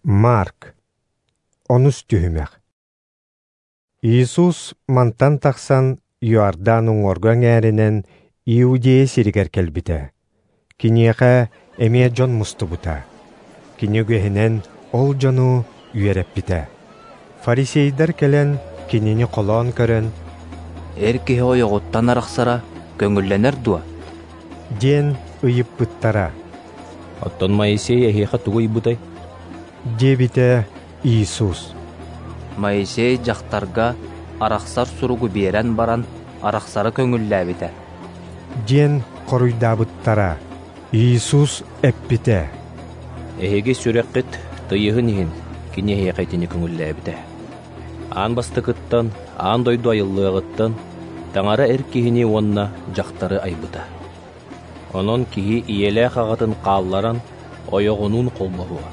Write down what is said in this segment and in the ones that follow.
Марк. Онус түһүмэх. Иисус мантан тахсан Иордан уҥуоргу эҥээринэн Иудея сиригэр кэлбитэ. Киниэхэ эмиэ дьон мустубута. Кини үгэһинэн ол дьону үөрэппитэ. Фарисейдар кэлэн кинини холоон көрөн, «Эр киһи ойоҕуттан арахсара көҥүллэнэр дуо?» диэн ыйыппыттара. «Оттон Моисей эһиэхэ тугу ыйбытай?» диэбитэ Иисус. Моисей дьахтарга арахсар суругу биэрэн баран, арахсары көҥүллээбитэ. Диэн хоруйдаабыттара. Иисус эппитэ: «Эһиги сүрэххит тыйыһын иһин кини эһиэхэ итини көҥүллээбитэ. Аан бастакыттан, аан дойду айыллыаҕыттан Таҥара эр киһини уонна дьахтары айбыта. Онон киһи ийэлээх аҕатын хаалларан ойоҕунуун холбоһуо,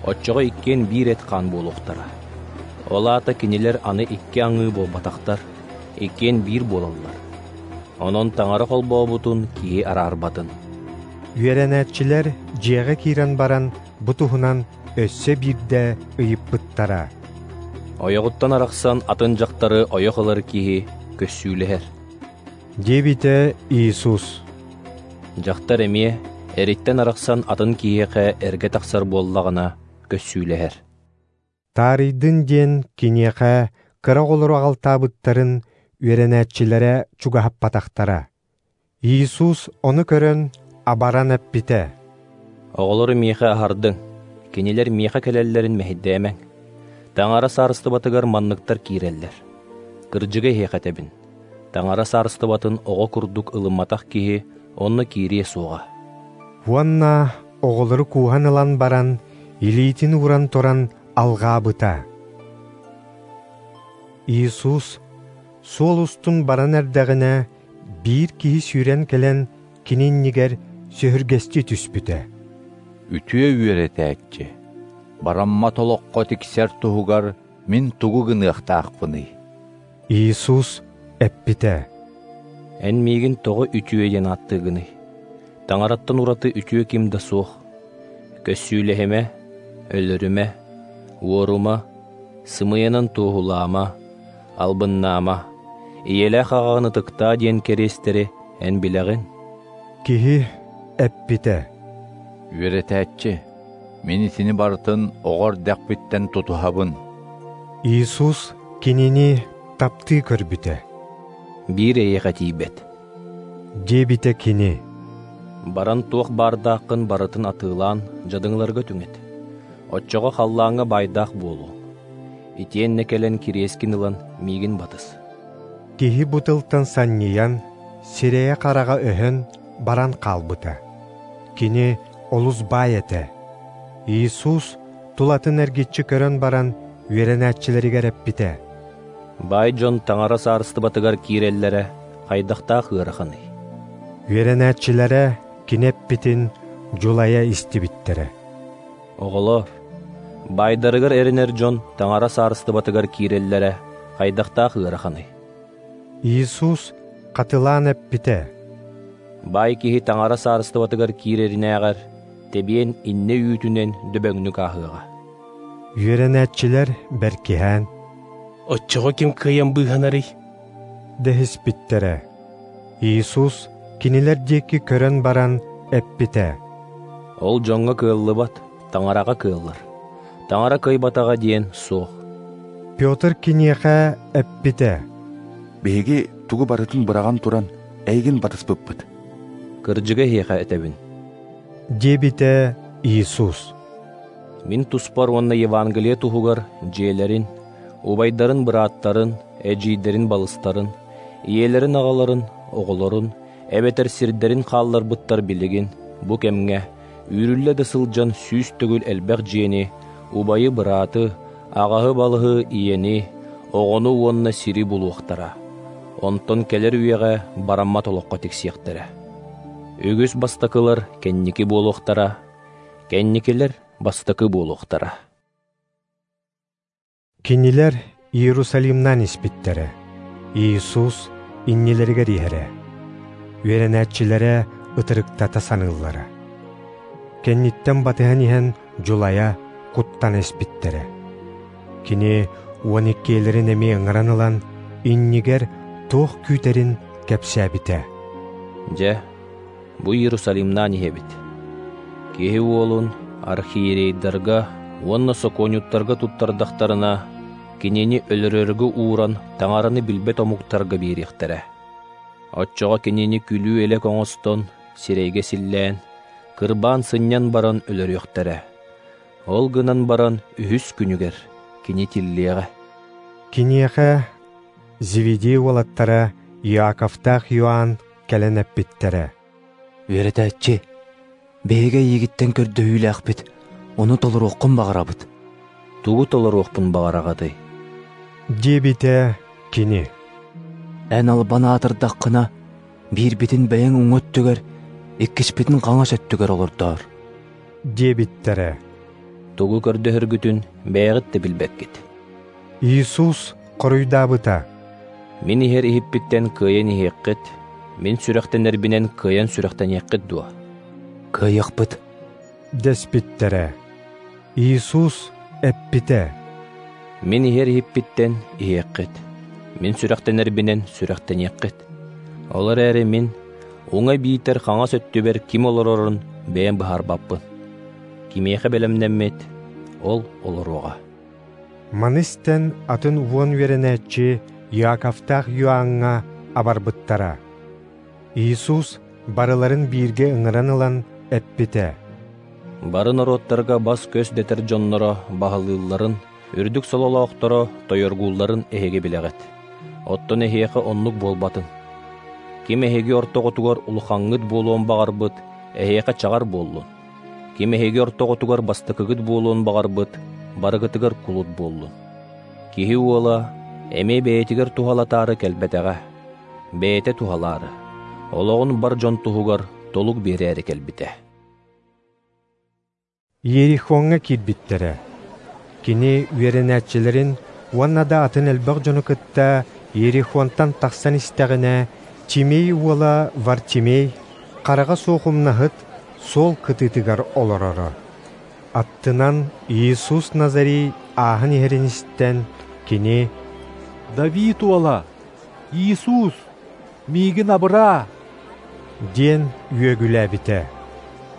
оччоҕо иккиэн биир эт-хаан буолуохтара. Ол аата кинилэр аны икки аҥыы буолбатахтар, иккиэн биир буолаллар. Онон Таҥара холбообутун киһи араарбатын». Үөрэнээччилэр дьиэҕэ киирэн баран бу туһунан өссө биирдэ ыйыппыттара. «Ойоҕуттан арахсан атын дьахтары ойох ылар киһи көссүүлэһэр», диэбитэ Иисус. «Дьахтар эмиэ эриттэн арахсан атын киһиэхэ эргэ тахсар буоллаҕына көссүүлэһэр». Таарыйдын диэн киниэхэ кыра оҕолору аҕалтаабыттарын үөрэнээччилэрэ чугаһаппатахтара. Иисус ону көрөн абаран эппитэ: «Оҕолору миэхэ аһардыҥ, кинилэр миэхэ кэлэллэрин мэһэйдээмэҥ. Таҥара саарыстыбатыгар манныктар киирэллэр. Кырдьыгы эһиэхэ этэбин, Таҥара саарыстыбатын оҕо курдук ылымматах киһи онно киириэ суоҕа». Уонна оҕолору кууһан ылан баран, илиитин ууран туран алҕаабыта. Иисус суол устун баран эрдэҕинэ, биир киһи сүүрэн кэлэн кини иннигэр сөһүргэстии түспүтэ. «Үтүө үөрэтээччи, бараммат олоххо тиксэр туһугар мин тугу гыныахтаахпыный?» Иисус эппитэ: «Эн миигин тоҕо үтүө диэн ааттыыгыный? Таҥараттан ураты үтүө ким да суох. Көссүүлэһимэ, өлөрүмэ, уорума, сымыйанан туоһулаама, албыннаама, ийэлээх аҕаҕын ытыктаа диэн кэриэстэри эн билэҕин». Киһи эппитэ: «Үөрэтээччи, мин итини барытын оҕо эрдэхпиттэн тутуһабын». Иисус кинини таптыы көрбүтэ. «Биир эйиэхэ тиийбэт», диэбитэ кини. «Баран туох баардааххын барытын атыылаан дьадаҥыларга түҥэт. Оччоҕо халлааҥҥа баайдаах буолуоҥ. Итиэннэ кэлэн кириэскин ылан миигин батыс». Киһи бу тылтан санньыйан, сирэйэ-хараҕа өһөн баран хаалбыта. Кини олус баай этэ. Иисус тулатын эргиччи көрөн баран үөрэнээччилэригэр эппитэ: «Баай дьон Таҥара саарыстыбатыгар киирэллэрэ хайдахтаах ыараханый?» Үөрэнээччилэрэ кини эппитин дьулайа истибиттэрэ. «Оҕолоор, баайдарыгар эрэнэр дьон Таҥара саарыстыбатыгар киирэллэрэ хайдахтаах ыараханый?» Иисус хатылаан эппитэ: «Баай киһи Таҥара саарыстыбатыгар киирэринээҕэр тэбиэн иннэ үүтүнэн дөбөҥнүк ааһыаҕа». Үөрэнээччилэр бэркиһээн: «Оччоҕо ким кыайан быыһанарый?» дэһиспиттэрэ. Иисус кинилэр диэки көрөн баран эппитэ: «Ол дьоҥҥо кыаллыбат, Таҥараҕа кыаллар. Таҥара кыайбатаҕа диэн суох». Петр киниэхэ эппитэ: «Биһиги тугу барытын быраҕан туран, эйигин батыспыппыт». «Кырдьыгы эһиэхэ этэбин», диэбитэ Иисус. «Мин туспар уонна Евангелие туһугар дьиэлэрин, убайдарын бырааттарын, эдьиийдэрин балыстарын, ийэлэрин аҕаларын, оҕолорун, эбэтэр сирдэрин хаалларбыттар билигин бу кэмҥэ үүрүллэ да сылдьан 100 төгүл элбэх дьиэни, убайы-бырааты, аҕаһы-балыһы, ийэни, оҕону уонна сири булуохтара. Онтон кэлэр үйэҕэ бараммат олоххо тиксиэхтэрэ. Үгүс бастакылар кэнники буолуохтара, кэнникилэр бастакы буолуохтара». Кинилэр Иерусалимнаан испиттэрэ. Иисус иннилэригэр иһэрэ. Үөрэнээччилэрэ ытырыктата саныыллара. Кэнниттэн батыһан иһэн дьулайа, куттана испиттэрэ. Кини уон иккиэлэрин эмиэ ыҥыран ылан, иннигэр туох күүтэрин кэпсээбитэ. Дьэ, бу Иерусалимнаан иһэбит. Киһи уолун архиерейдарга уонна сокуонньуттарга туттардахтарына, кинини өлөрөргө ууран Таҥараны билбэт омуктарга биэриэхтэрэ. Оччоҕо кинини күлүү-элэк оҥостон, сирэйгэ силлээн, кырбаан сынньан баран өлөрүөхтэрэ. Ол гынан баран үһүс күнүгэр кини тиллиэҕэ. Киниэхэ Зеведей уолаттара Иаковтаах Иоанн кэлэн эппиттэрэ: «Үөрэтээччи, биһиги эйигиттэн көрдөһүүлээхпит, ону толоруоххун баҕарабыт». «Тугу толоруохпун баҕараҕытый?» диэбитэ кини. «Эн албан аатырдаххына, биирбитин бэйэҥ уҥа өттүгэр, иккиспитин хаҥас өттүгэр олордоор» диэбиттэрэ. «Тугу көрдөһөргүтүн бэйэҕит да билбэккит». Иисус хоруйдаабыта: «Мин иһэр иһиппиттэн кыайан иһиэххит, мин сүрэхтэнэрбинэн кыайан сүрэхтэниэххит дуо?» «Кыайыахпыт» дэспиттэрэ. Иисус эппитэ: «Мин иһэр иһиппиттэн иһиэххит, мин сүрэхтэнэрбинэн сүрэхтэниэххит. Ол эрээри мин уҥа биитэр хаҥас өттүбэр ким олорорун бэйэм быһаарбаппын. Кимиэхэ бэлэмнэммит, ол олоруоҕа». Маны истэн атын уон үөрэнээччи Иаковтаах Иоанҥа абарбыттара. Иисус барыларын бииргэ ыҥыран ылан эппитэ: «Бары норуоттарга бас-көс дэтэр дьонноро баһылыылларын, үрдүк сололоохторо тойоргуулларын эһиги билэҕит. Оттон эһиэхэ оннук буолбатын. Ким эһиги ортоҕутугар улахаҥҥыт буолуон баҕарбыт, эһиэхэ чаҕар буоллун. Ким эһиги ортоҕутугар бастакыгыт буолуон баҕарбыт, барыгытыгар кулут буоллун. Киһи уола эмиэ бэйэтигэр туһалатаары кэлбэтэҕэ, бэйэтэ туһалаары, олоҕун бар дьон туһугар толук биэрээри кэлбитэ». Иерихоҥҥа киирбиттэрэ. Кини үөрэнээччилэрин уонна да атын элбэх дьону кытта Иерихонтан тахсан истэҕинэ, Тимей уола Вартимей хараҕа суох умнаһыт суол кытыытыгар олороро. Аттынан Иисус Назарей ааһан иһэрин истэн, кини: «Давид уола, Иисус, миигин абыраа!» диэн үөгүлээбитэ.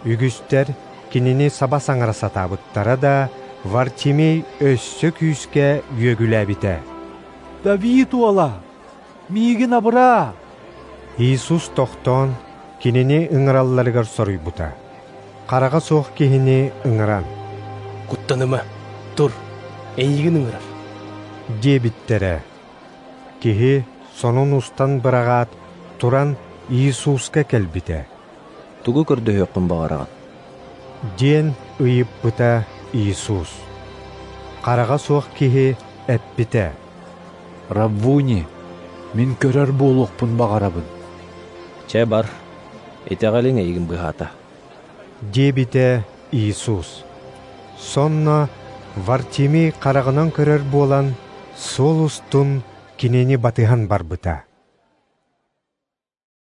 Үгүстэр кинини саба саҥара сатаабыттара да, Вартимей өссө күүскэ үөгүлээбитэ: «Давид уола, миигин абыраа!» Иисус тохтоон, кинини ыҥыралларыгар соруйбута. Хараҕа суох киһини ыҥыран: «Куттаныма, тур, эйигин ыҥырар» диэбиттэрэ. Киһи сонун устан быраҕаат, туран Иисуска кэлбитэ. «Тугу көрдөһүөххүн баҕараҕын?» диэн ыйыппыта Иисус. Хараҕа суох киһи эппитэ: «Раввуни, мин көрөр буолуохпун баҕарабын». «Чэ бар, итэҕэлиҥ эйигин быһаата» диэбитэ Иисус. Сонно Вартимей хараҕынан көрөр буолан, суол устун кинини батыһан барбыта.